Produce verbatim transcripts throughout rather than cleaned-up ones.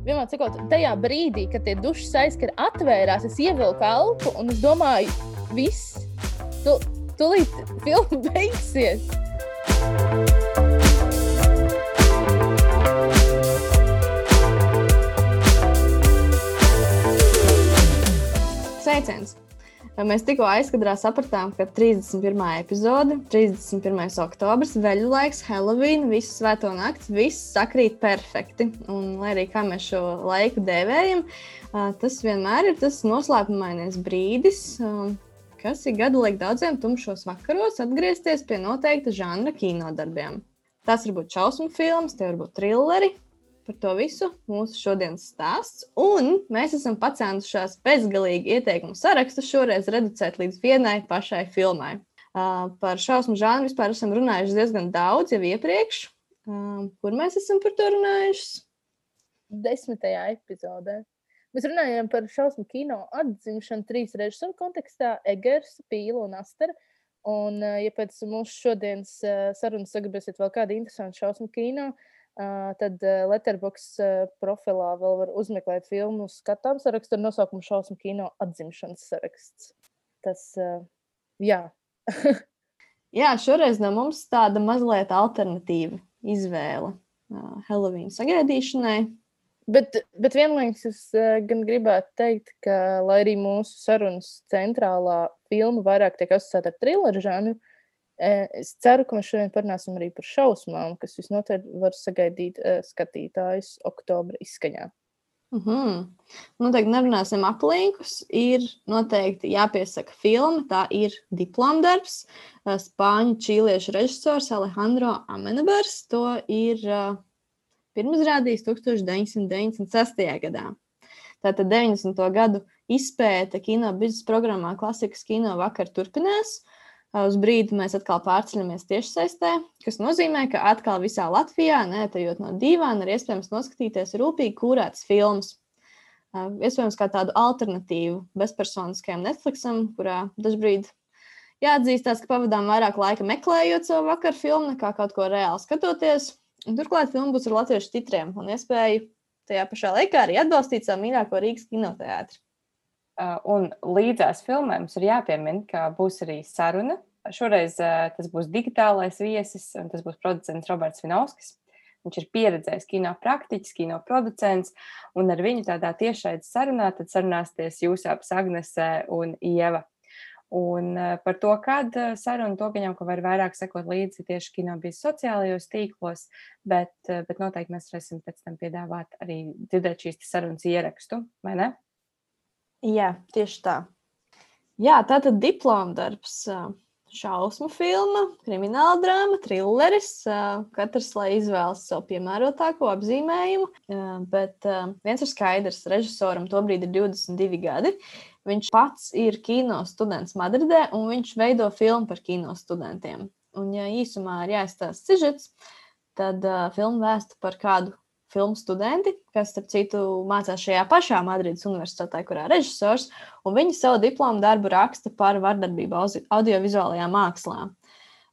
vienmēr sakot, tajā brīdī, kad tie dušas aizskari atvērās, es ievilku elpu un es domāju, viss, tu, tulīt filma beigsies. Sveiciens! Mēs tikko aizkadrā sapratām, ka trīsdesmit pirmā epizode, trīsdesmit pirmais oktobrs, veļu laiks, Halloween, visu svēto nakts, viss sakrīt perfekti. Un, lai arī kā mēs šo laiku dēvējam, tas vienmēr ir tas noslēpumainais brīdis, kas ir gadu liek daudziem tumšos vakaros atgriezties pie noteikta žanra kinodarbiem. Tas var būt šausmu filmas, tie var būt trilleri. Par to visu mūsu šodienas stāsts, un mēs esam pacēnušās bezgalīgi ieteikumu sarakstu šoreiz reducēt līdz vienai pašai filmai. Uh, par šausmu žānru vispār esam runājuši diezgan daudz jau iepriekš. Uh, kur mēs esam par to runājuši? Desmitajā epizodē. Mēs runājām par šausmu kino atzimšanu trīs režisoru kontekstā – Egers, Pīla un Aster. Un, uh, ja pēc mūsu šodienas uh, sarunas sagribēsiet vēl kādu interesantu šausmu kino, Uh, tad uh, Letterboxd uh, profilā vēl var uzmeklēt filmu skatām sarakstu ar nosaukumu šausmu kino atzimšanas saraksts. Tas, uh, jā. Jā, šoreiz no mums tāda mazliet alternatīva izvēle uh, Halloween sagaidīšanai. Bet, bet vienlaikus es uh, gan gribētu teikt, ka, lai arī mūsu sarunas centrālā filma vairāk tiek asociēta ar trilleru žanru, es ceru, ka mēs šodien parunāsim arī par šausmām, kas visnotaļ var sagaidīt uh, skatītājus oktobra izskaņā. Mm-hmm. Noteikti nerunāsim aplīkus. Ir noteikti jāpiesaka filma. Tā ir diplomdarbs. Spāņu čīliešu režisors Alejandro Amenabers. To ir uh, pirmizrādījis deviņdesmit deviņdesmit sestajā gadā. Tātad deviņdesmito gadu izpēte kino biznesa programmā Klasikas kino vakar turpinās. Uz brīdi mēs atkal pārceļamies tiešsaistē, kas nozīmē, ka atkal visā Latvijā, neatejot no dīvāna, ir iespējams noskatīties rūpīgi kūrētas filmas. Iespējams, kā tādu alternatīvu bezpersoniskajam Netflixam, kurā dažbrīd jāatzīstās, ka pavadām vairāk laika meklējot savu vakaru filmu, nekā kaut ko reāli skatoties. Un turklāt filma būs ar latviešu titriem un iespēju tajā pašā laikā arī atbalstīt savu mīļāko Rīgas kinoteātri. Un līdzās filmēm ir jāpiemina, ka būs arī saruna. Šoreiz tas būs digitālais viesis, un tas būs producents Roberts Vinovskis. Viņš ir pieredzējis kino praktiķis, kino producents, un ar viņu tādā tiešraides sarunā tad sarunāsties jūs abas Agnese un Ieva. Un par to, kad saruna, to gaņām, ka var vairāk sekot līdzi tieši kino bijis sociālajos tīklos, bet, bet noteikti mēs varēsim pēc tam piedāvāt arī dzirdēt šīs sarunas ierakstu, vai ne? Jā, tieši tā. Jā, tātad diplomdarbs, šausmu filma, krimināla drāma, trilleris, katrs, lai izvēlas savu piemērotāko apzīmējumu, bet viens ir skaidrs, režisoram tobrīd ir divdesmit divi gadi, viņš pats ir kino students Madridē un viņš veido filmu par kino studentiem. Un ja īsumā ir jāizstāsta sižets, tad filma vēsta par kādu filmu studenti, kas, starp citu, mācās šajā pašā Madrides universitātē, kurā režisors, un viņi savu diplomu darbu raksta par vardarbību audiovizuālajā mākslā.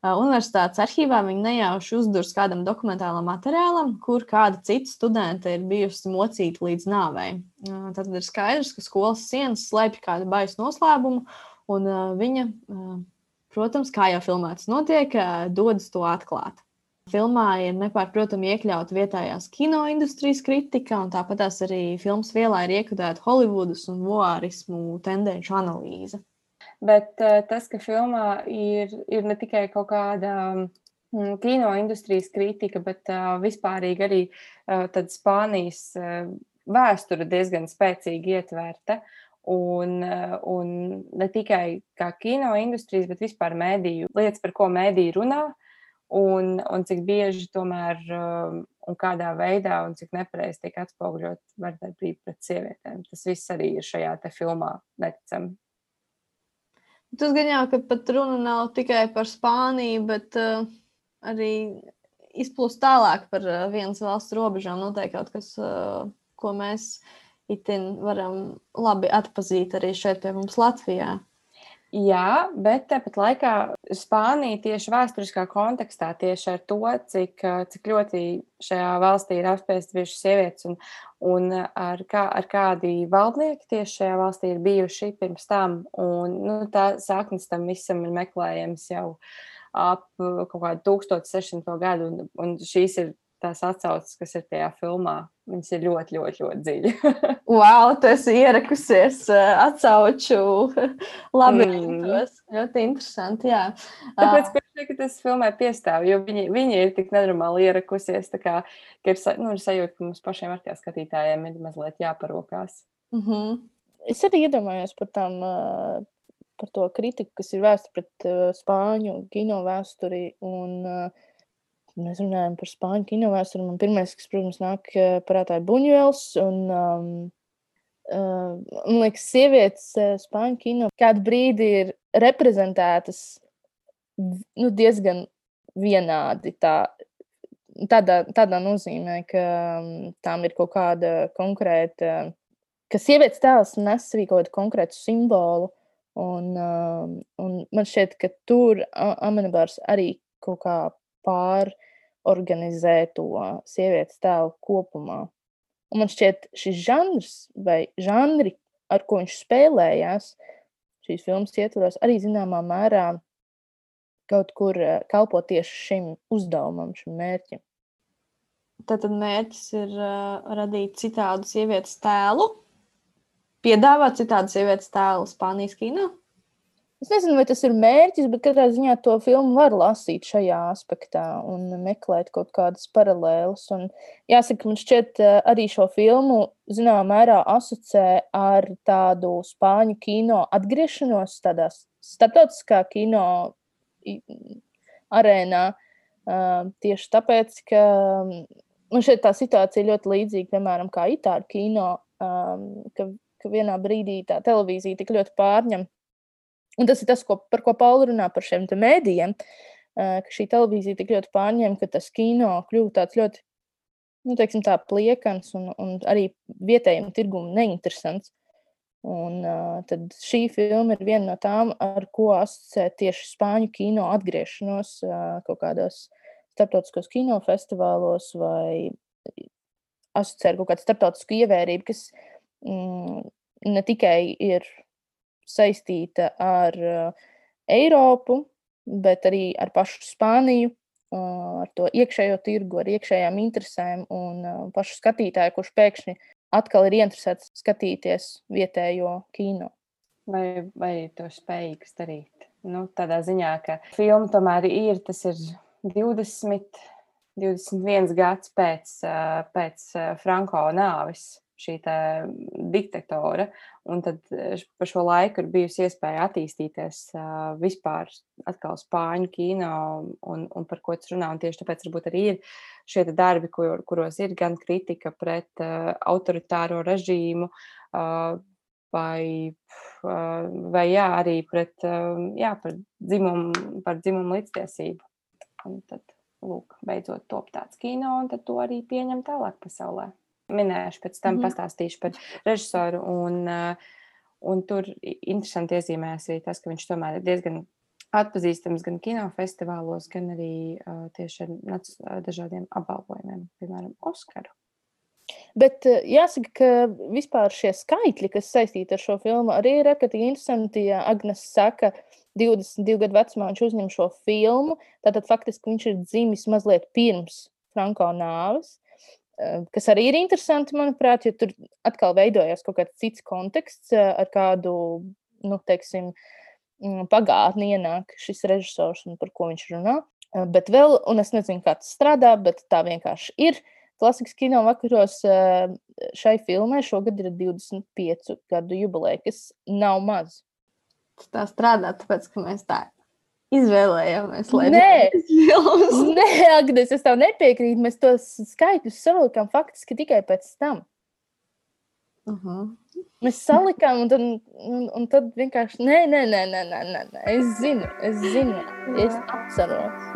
Universitātes arhīvā viņi nejauši uzdurs kādam dokumentālam materiālam, kur kāda cita studenta ir bijusi mocīta līdz nāvei. Tad ir skaidrs, ka skolas sienas slēpj kādu baisu noslēpumu, un viņa, protams, kā jau filmēts notiek, dodas to atklāt. Filmā ir nepārprotami iekļauta vietējās kinoindustrijas kritika, un tāpatās arī filmas vielā ir iekudēta Holivudas un voārismu tendenču analīze. Bet tas, ka filmā ir, ir ne tikai kaut kāda kinoindustrijas kritika, bet vispārīgi arī tad Spānijas vēsture diezgan spēcīgi ietvērta. Un, un ne tikai kā kinoindustrijas, bet vispār mēdīju lietas, par ko mēdīji runā. Un, un cik bieži tomēr un kādā veidā un cik nepareizi tiek atspoguļot vardarbība pret sievietēm. Tas viss arī ir šajā te filmā neticami. Tas gan jau, ka pat runa nav tikai par Spāniju, bet uh, arī izplūst tālāk par uh, vienas valsts robežām. Noteikti kaut kas, uh, ko mēs itin varam labi atpazīt arī šeit pie mums Latvijā. Jā, bet tāpat laikā Spānija tieši vēsturiskā kontekstā, tieši ar to, cik, cik ļoti šajā valstī ir apspiestas bijušas sievietes un, un ar, kā, ar kādi valdnieki tieši šajā valstī ir bijuši pirms tam. Un, nu, tā saknes tam visam ir meklējams jau ap kaut kādu tūkstoš sešsimt gadu, un, un šīs ir tās atsauces, kas ir tajā filmā. Viņas ir ļoti, ļoti, ļoti dziļi. Wow, tu esi ierakusies uh, atsauču labirintos. Mm. Ļoti interesanti, jā. Tāpēc, ka, ka tas filmai piestāv, jo viņi, viņi ir tik nenormāli ierakusies, tā kā, ka ir, nu, ir sajūta, ka mums pašiem ar tie skatītājiem ir mazliet jāparokās. Mm-hmm. Es arī iedomājos par tām, uh, par to kritiku, kas ir vēsta pret uh, spāņu kino vēsturi un uh, mēs runājam par spāņu kino vēsturi. Man pirmais, kas, protams, nāk prātā ir Buņuels. Un, um, uh, man liekas, sievietes spāņu kino kādu brīdi ir reprezentētas nu, diezgan vienādi. Tā, tādā, tādā nozīmē, ka um, tām ir kaut kāda konkrēta, ka sievietes tēls nes arī kaut kādu konkrētu simbolu. Un, um, un man šķiet, ka tur Amenabars arī kaut kā pār organizē to sievietes tēlu kopumā. Un man šķiet, šis žanrs vai žanri, ar ko viņš spēlējās šīs filmas ietvaros, arī zināmā mērā kaut kur kalpo tieši šim uzdevumam, šim mērķim. Tātad mērķis ir uh, radīt citādu sievietes tēlu, piedāvāt citādu sievietes tēlu Spānijas kino? Es nezinu, vai tas ir mērķis, bet katrā ziņā to filmu var lasīt šajā aspektā un meklēt kaut kādas paralēlas. Un jāsaka, man šķiet arī šo filmu zināmā mērā asociē ar tādu spāņu kino atgriešanos tādā starptautiskā kino arēnā. Tieši tāpēc, ka man šeit tā situācija ļoti līdzīga, piemēram, kā itāļu kino, ka, ka vienā brīdī tā televīzija tik ļoti pārņem. Un tas ir tas, ko, par ko Paula runā par šiem te mēdījiem, ka šī televīzija tik ļoti pārņem, ka tas kino kļūst tāds ļoti, nu, teiksim tā, pliekans un, un arī vietējiem tirgum neinteresants. Un uh, tad šī filma ir viena no tām, ar ko asociē tieši spāņu kino atgriešanos uh, kaut kādos starptautiskos kinofestivālos vai asociē ar kaut kādu starptautisku ievērību, kas mm, ne tikai ir saistīta ar uh, Eiropu, bet arī ar pašu Spāniju, uh, ar to iekšējo tirgu, ar iekšējām interesēm un uh, pašu skatītāju, kurš pēkšņi atkal ir interesēts skatīties vietējo kino. Vai, vai to spējīgs darīt? Nu, tādā ziņā, ka filma tomēr ir, tas ir divdesmit, divdesmit viens gads pēc, uh, pēc uh, Franko nāves. Šī tā diktatora, un tad pa šo laiku ir bijusi iespēja attīstīties uh, vispār atkal spāņu kino un, un par ko tas runā, un tieši tāpēc varbūt arī ir šie darbi, kur, kuros ir gan kritika pret uh, autoritāro režīmu, uh, vai, uh, vai jā, arī pret, uh, jā, par dzimumu, par dzimumu līdztiesību. Un tad, lūk, beidzot top tāds kino, un tad to arī pieņem tālāk pasaulē. Minēšu, pēc tam mm-hmm. pastāstīšu par režisoru, un, un tur interesanti iezīmēs arī tas, ka viņš tomēr ir diezgan atpazīstams gan kinofestivālos, gan arī uh, tieši ar dažādiem apbalvojumiem, piemēram, Oskaru. Bet jāsaka, ka vispār šie skaitļi, kas saistīti ar šo filmu, arī ir ārkārtīgi interesanti, ja Agnes saka, divdesmit divu gadu vecumā viņš uzņem šo filmu, tātad faktiski viņš ir dzimis mazliet pirms Franko nāves, kas arī ir interesanti, manuprāt, jo tur atkal veidojās kaut kāds cits konteksts, ar kādu, nu, teiksim, pagātni ienāk šis režisors un par ko viņš runā. Bet vēl, un es nezinu, kā tas strādā, bet tā vienkārši ir. Klasikas kino vakaros šai filmai šogad ir divdesmit piecu gadu jubileja, kas nav maz. Tā strādā, tāpēc, ka mēs tā izvēlējāmies, lai Nē, Nē, Agnes, es tev nepiekrītu. Mēs tos skaitļus salikām faktiski tikai pēc tam. Uh-huh. Mēs salikām, un tad, un, un tad vienkārši, nē, nē, nē, nē, nē, nē, es zinu, es zinu, es atceros.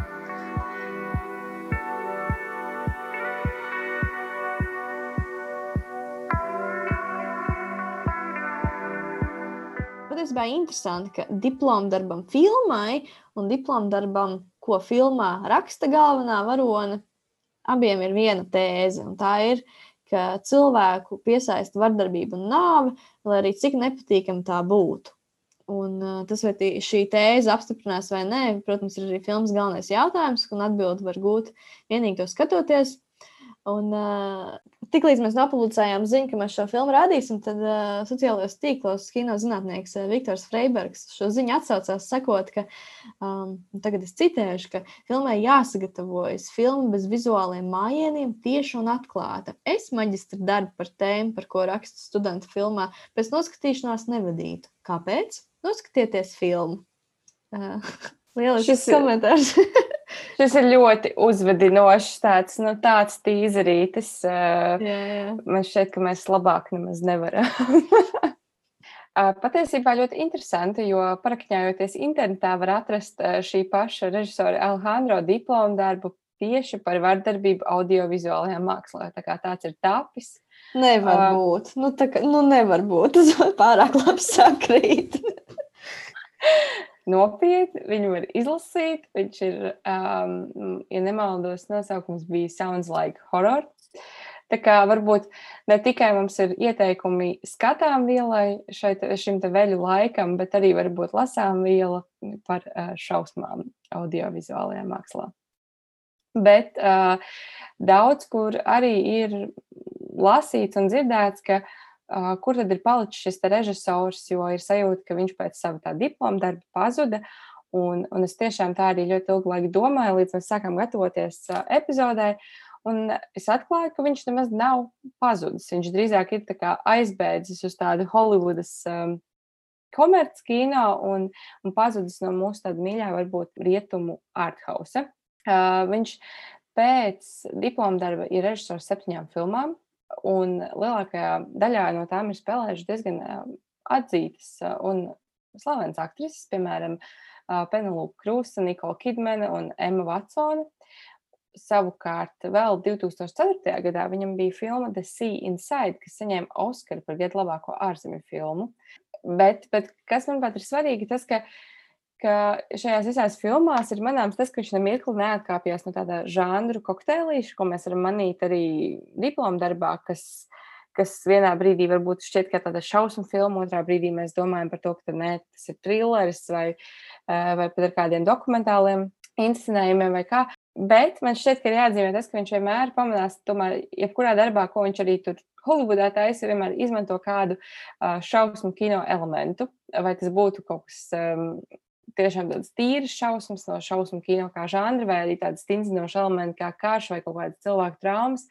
patiesībā interesanti, ka diplomdarbam filmai un diplomdarbam, ko filmā raksta galvenā varone, abiem ir viena tēze, un tā ir, ka cilvēku piesaista vardarbība un nāve, lai arī cik nepatīkami tā būtu. Un uh, tas, vai tī, šī tēze apstiprinās vai nē, protams, ir arī filmas galvenais jautājums, un atbildi var gūt vienīgi to skatoties. Un uh, tiklīdz mēs nopublicējām ziņu, ka mēs šo filmu rādīsim, tad uh, sociālajos tīklos kinozinātnieks uh, Viktors Freibergs šo ziņu atsaucās, sakot, ka, um, tagad es citēšu, ka filmai jāsagatavojas filma bez vizuāliem mājieniem, tieši un atklāta. Es maģistra darbu par tēmu, par ko rakstu studentu filmā, pēc noskatīšanās nevadītu. Kāpēc? Noskatieties filmu. Uh, Lielisks komentārs. Šis ir ļoti uzvedinošs, tāds, nu, tāds tīzerītis. Jā, jā. Man šķiet, ka mēs labāk nemaz nevaram. Patiesībā ļoti interesanti, jo parakņājoties internetā var atrast šī paša režisora Alejandro diplomu darbu tieši par vardarbību audiovizuālajā mākslā. Tā kā tāds ir tapis. Nevar uh, būt. Nu, tā kā, nu, nevar būt. Tas pārāk labi sakrīt. Nopietni, viņu var izlasīt. Viņš ir, um, ja nemaldos, nosaukums bija Sounds Like Horror. Tā kā varbūt ne tikai mums ir ieteikumi skatām vielai šeit, šim te veļu laikam, bet arī varbūt lasām viela par uh, šausmām audiovizuālajā mākslā. Bet uh, daudz, kur arī ir lasīts un dzirdēts, ka Uh, kur tad ir palicis šis režisors, jo ir sajūta, ka viņš pēc sava tā diploma darba pazuda, un, un es tiešām tā arī ļoti ilgu laiku domāju, līdz mēs sākām gatavoties uh, epizodai, un es atklāju, ka viņš nemaz nav pazudis. Viņš drīzāk ir tā kā aizbēdzis uz tādu Hollywoodas um, komerc kino un, un pazudis no mūsu tāda mīļā, varbūt rietumu arthausa. Uh, viņš pēc diploma darba ir režisors septiņām filmām, un lielākajā daļā no tām ir spēlējuši diezgan atzītas un slavenas aktrises, piemēram, Penelope Cruz, Nicole Kidmane un Emma Watsone. Savukārt vēl divi tūkstoši ceturtajā gadā viņam bija filma The Sea Inside, kas saņēma Oskaru par gadu labāko ārzemju filmu. Bet, bet kas, manuprāt, ir svarīgi, tas, ka ka šajās visās filmās ir manāms tas, ka viņš nemirkli neatkāpjas no tāda žanru kokteilīša, ko mēs varam manīt arī diploma darbā, kas, kas vienā brīdī varbūt šķiet kā tāda šausmu filma, otrā brīdī mēs domājam par to, ka nē, tas ir trilleris vai, vai pat ar kādiem dokumentāliem inscenējumiem vai kā. Bet man šķiet, ka ir jāatzīmē tas, ka viņš vienmēr pamanās, tomēr, jebkurā darbā, ko viņš arī tur Hollywoodā taisa, vienmēr izmanto kādu šausmu kino elementu, vai tas būtu kaut kas um, tiešām tādas tīras šausmas no šausmu kino kā žanra, vai arī tādas stingzinošas elementi kā karš vai kaut kādas cilvēku traumas,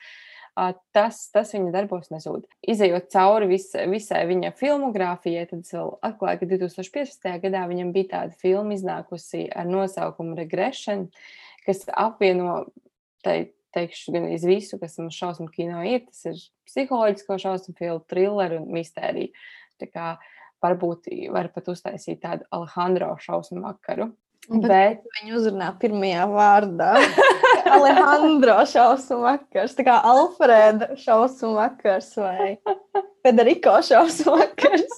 tas, tas viņa darbos nezūd. Izejot cauri vis, visai viņa filmogrāfijai, tad es vēl atklāju, ka divi tūkstoši piecpadsmitajā gadā viņam bija tāda filma iznākusi ar nosaukumu Regression, kas apvieno, te, teikšu, gan iz visu, kas mums šausmu kino ir. Tas ir psiholoģisko šausmu filmu, trilleru un mistēriju. Tā kā varbūt var pat uztaisīt tādu Alejandro šausmu vakaru. Bet, bet viņu uzrunā pirmajā vārdā. Alejandro šausmu vakars. Tā kā Alfreda šausmu vakars vai Federico šausmu vakars.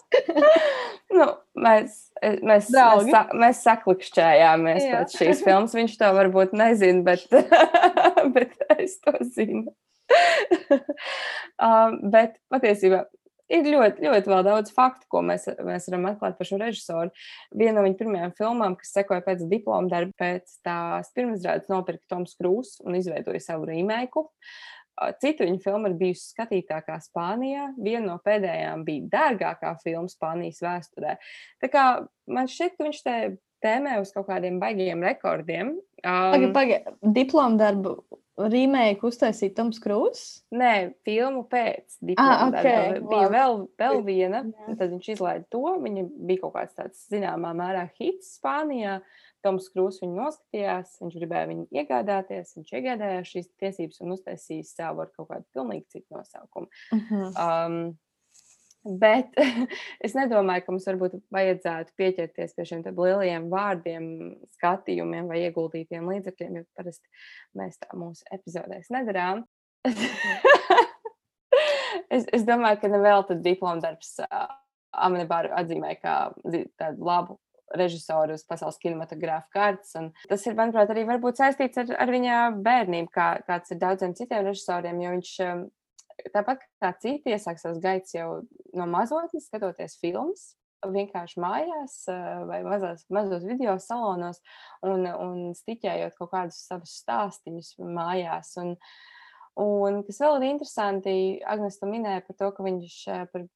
nu, mēs, mēs, mēs, sa, mēs saklikšķējāmies Jā. pēc šīs filmas. Viņš to varbūt nezina, bet, bet es to zinu. um, bet patiesībā ir ļoti, ļoti vēl daudz faktu, ko mēs, mēs varam atklāt par šo režisoru. Viena no viņa pirmajām filmām, kas sekoja pēc diploma darba, pēc tās pirmizrādes nopirka Toms Krūss un izveidoja savu remake. Cita viņa filma ir bijusi skatītākā Spānijā. Viena no pēdējām bija dārgākā filma Spānijas vēsturē. Tā kā man šķiet, ka viņš te tēmē uz kaut kādiem baigiem rekordiem. Um, Paga, paga, diploma darbu remake uztaisīja Toms Krūss? Nē, filmu pēc diploma ah, okay. darba. Bija vēl, vēl viena, tad viņš izlaida to. Viņa bija kaut kāds tāds zināmā mērā hits Spānijā. Toms Krūss viņu noskatījās, viņš gribēja viņu iegādāties, viņš iegādājās šīs tiesības un uztaisīja savu ar kaut kādu pilnīgi citu nosaukumu. Uh-huh. Um, bet es nedomāju, ka mums varbūt vajadzētu pieķerties pie šiem lielajiem vārdiem, skatījumiem vai ieguldītiem līdzekļiem, jo parasti mēs tā mūsu epizodēs nedarām. es, es domāju, ka nevēl tad diploma darbs Amenebaru atzīmē kā tādu labu režisoru uz pasaules kinematogrāfa kārtas. Un tas ir, manuprāt, arī varbūt saistīts ar, ar viņa bērnību, kā, kāds ir daudziem citiem režisoriem, jo viņš tāpat kā citi iesāk savas gaitas jau no mazotnes, skatoties filmas, vienkārši mājās vai mazās, mazos video salonos un, un stiķējot kaut kādus savus stāstiņus mājās. Un, un kas vēl ir interesanti, Agnes to minēja par to, ka viņš par,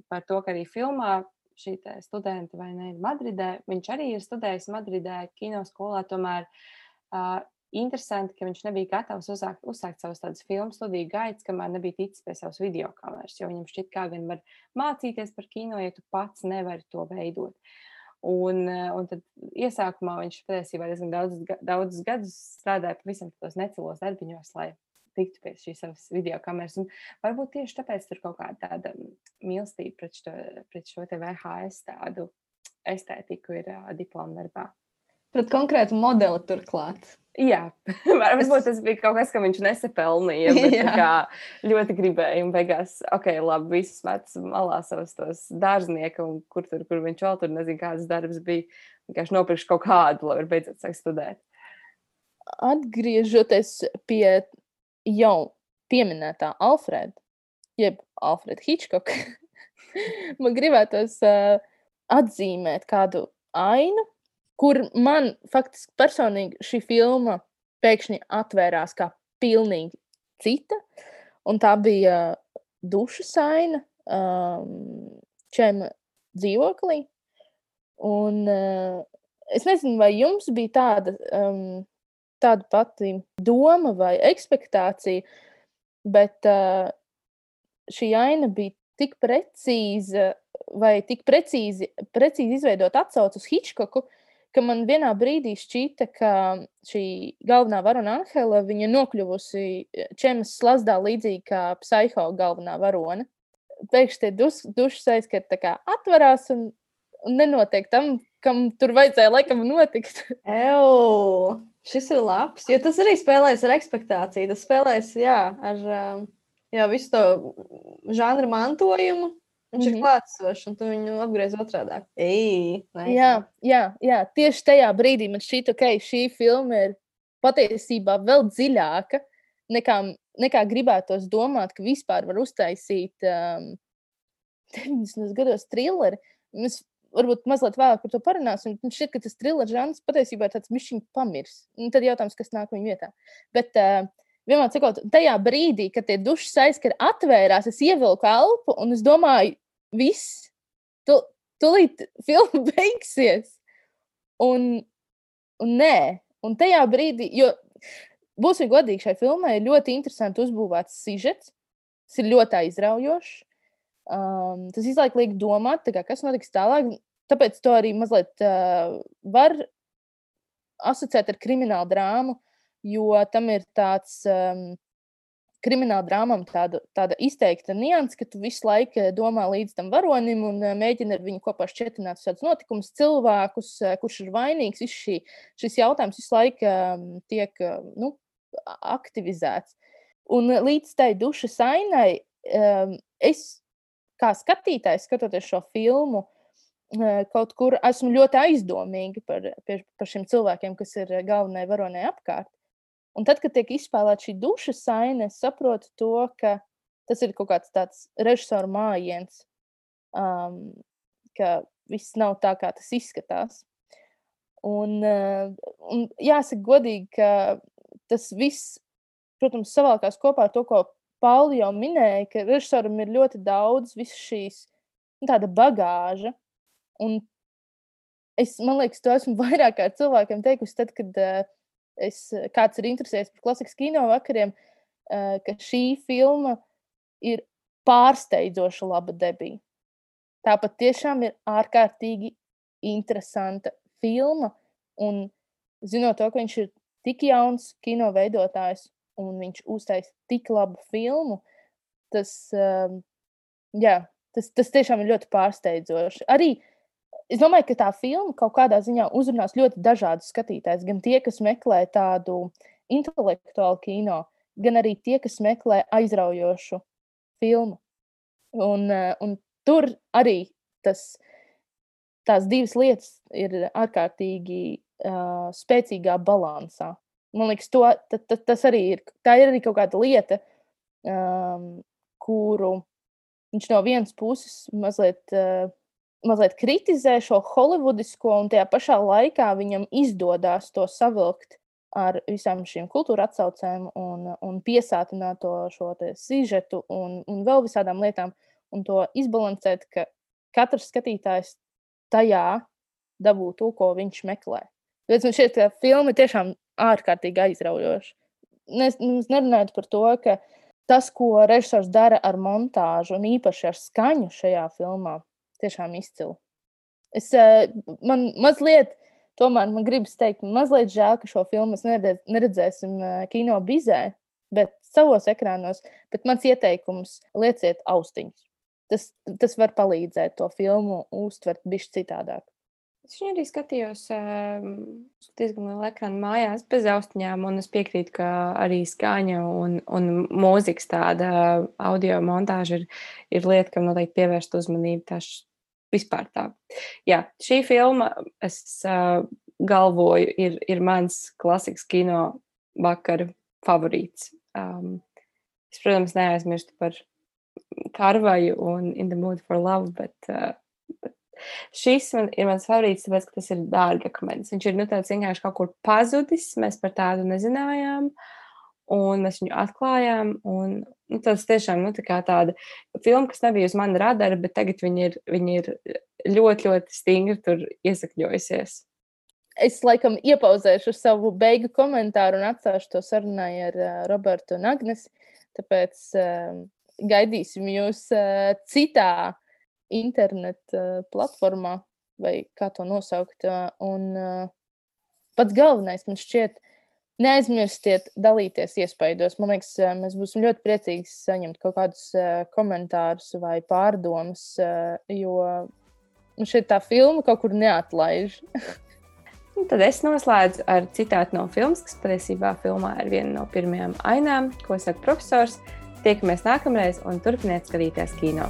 par to, ka arī filmā šī studenta vai ne ir Madridē, viņš arī ir studējis Madridē kinoskolā, tomēr uh, interesanti, ka viņš nebija gatavs uzsākt, uzsākt savus tādus filmu studiju gaitas, kamēr nebija ticis pie savas videokameras, jo viņam šķiet, kā gan var mācīties par kino, ja tu pats nevari to veidot. Un, un tad iesākumā viņš patiesībā diezgan daudz, daudzus gadus strādāja pavisam tos necilos darbiņos, lai tiktu pie šīs savas videokameras. Un varbūt tieši tāpēc tur kaut kāda tāda mīlestība pret šo, pret šo te V H S tādu estētiku ir uh, diploma darbā. Pret konkrētu modeli turklāt. Jā, varbūt tas bija kaut kas, ka viņš nesapelnīja, bet kā ļoti gribēja un beigās, ok, labi, visus metus malā savus tos dārznieku un kur tur, kur viņš vēl tur nezinu, kādas darbs bija, vienkārši nopirkšu kaut kādu, lai var beidzot sākt studēt. Atgriežoties pie jau pieminētā Alfreda, jeb Alfreda Hitchcock, man gribētos uh, atzīmēt kādu ainu, kur man faktiski personīgi šī filma pēkšņi atvērās kā pilnīgi cita, un tā bija dušas aina um, Čema dzīvoklī, un uh, es nezinu, vai jums bija tāda um, tāda pati doma vai ekspektācija, bet uh, šī aina bija tik precīza vai tik precīzi, precīzi izveidot atsauci uz Hitchcocku, ka man vienā brīdī šķita, ka šī galvenā varona Anhela, viņa nokļuvusi Čemas slazdā līdzīgi kā Psycho galvenā varona. Pēkšņi tie dus, dušas aizskar tā kā atvarās un, un nenotiek tam, kam tur vajadzēja laikam notikt. Ew! Šis ir labs, jo tas arī spēlēs ar ekspektāciju. Tas spēlēs, jā, ar jā, visu to žanra mantojumu. Viņš mm-hmm. ir klātsošs, un tu viņu apgriez otrādāk. Ei, jā, jā, jā, tieši tajā brīdī man šķiet, ka okay, šī filma ir patiesībā vēl dziļāka, nekā, nekā gribētos domāt, ka vispār var uztaisīt um, deviņdesmitos gados trilleri. Mēs varbūt mazliet vēlāk par to parunāsim. Man šķiet, ka tas thriller žanrs patiesībā ir tāds mišķiņ pamirs. Un tad jautājums, kas nāk viņa vietā. Bet uh, vienmēr sakot, tajā brīdī, kad tie dušas aizskari atvērās, es ievilku elpu un es domāju, viss, tu, tulīt filma beigsies. Un, un nē. Un tajā brīdī, jo būsim godīgi, šai filmai ir ļoti interesanti uzbūvēts sižets. Tas ir ļoti aizraujošs. Um, tas izlaik liek domāt, tā kā, kas notiks tālāk, tāpēc to arī mazliet uh, var asociēt ar kriminālu drāmu, jo tam ir tāds um, krimināla drāmam tāda, tāda izteikta nianse, ka tu visu laiku domā līdz tam varonim un uh, mēģini ar viņu kopā šķietināt šādus notikumus, cilvēkus, uh, kurš ir vainīgs. Viss šī, šis jautājums visu laiku um, tiek uh, nu, aktivizēts. Un uh, līdz tai dušas ainai um, es kā skatītājs, skatoties šo filmu, kaut kur esmu ļoti aizdomīga par, par šiem cilvēkiem, kas ir galvenai varonai apkārt. Un tad, kad tiek izspēlēta šī dušas aina, es saprotu to, ka tas ir kaut kāds tāds režisoru mājiens, um, ka viss nav tā, kā tas izskatās. Un, uh, un jāsaka godīgi, ka tas viss, protams, savalkās kopā ar to, ko Pauli jau minēja, ka režisoram ir ļoti daudz visas šīs tāda bagāža. Un es, man liekas, to esmu vairāk kā cilvēkiem teikusi tad, kad uh, es, kāds ir interesējies par klasikas kino vakariem, uh, ka šī filma ir pārsteidzoša laba debija. Tāpat tiešām ir ārkārtīgi interesanta filma. Un zinot to, ka viņš ir tik jauns kino veidotājs, un viņš uztais tik labu filmu, tas, um, jā, tas, tas tiešām ir ļoti pārsteidzoši. Arī es domāju, ka tā filma kaut kādā ziņā uzrunās ļoti dažādus skatītājus, gan tie, kas meklē tādu intelektuālu kino, gan arī tie, kas meklē aizraujošu filmu. Un, un tur arī tas, tās divas lietas ir ārkārtīgi uh, spēcīgā balansā. Man liekas, to, ta, ta, tas arī ir, tā ir arī kaut kāda lieta, um, kuru viņš no vienas puses mazliet, uh, mazliet kritizē šo holivudisko, un tajā pašā laikā viņam izdodās to savilkt ar visām šīm kultūra atsaucēm un, un piesātināt to šo te sižetu un, un vēl visādām lietām, un to izbalansēt, ka katrs skatītājs tajā dabū to, ko viņš meklē. Tāpēc man šķiet, ka filma tiešām ārkārtīgi aizraujoša. Mēs nerunājam par to, ka tas, ko režisors dara ar montāžu un īpaši ar skaņu šajā filmā, tiešām izcili. Es, man mazliet, tomēr man gribas teikt, mazliet žēl, ka šo filmu mēs neredz, neredzēsim kino bizē, bet savos ekrānos, bet mans ieteikums lieciet austiņus. Tas, tas var palīdzēt to filmu uztvert bišķi citādāk. Es viņu arī skatījos um, diezgan lielu ekrānu mājās bez austiņām, un es piekrītu, ka arī skaņa un, un mūzikas tāda audio montāža ir, ir lieta, kam noteikti pievērst uzmanību. Tā vispār tā. Jā, šī filma, es uh, galvoju, ir, ir mans klasikas kino vakara favorīts. Um, es, protams, neaizmirstu par Karvaju un In the Mood for Love, bet... Uh, Šis man, ir mans favorīts, tāpēc, ka tas ir dārgakmens. Viņš ir, nu, tāds vienkārši kaut kur pazudis, mēs par tādu nezinājām, un mēs viņu atklājām, un, nu, tas tiešām, nu, tā kā tāda filma, kas nebija uz mani radara, bet tagad viņi ir, viņi ir ļoti, ļoti stingri tur iesakļojusies. Es, laikam, iepauzēšu savu beigu komentāru un atstāšu to sarunai ar uh, Robertu un Agnesi, tāpēc uh, gaidīsim jūs uh, citā internet uh, platformā, vai kā to nosaukt. Uh, un uh, pats galvenais man šķiet, neaizmirstiet dalīties iespaidos. Man liekas, uh, mēs būsim ļoti priecīgi saņemt kaut kādus uh, komentārus vai pārdomas, uh, jo man šķiet tā filma kaut kur neatlaiž. Un tad es noslēdzu ar citātu no filmas, kas patiesībā filmā ir viena no pirmajām ainām, ko saka profesors. Tiekamies nākamreiz un turpiniet skatīties kino.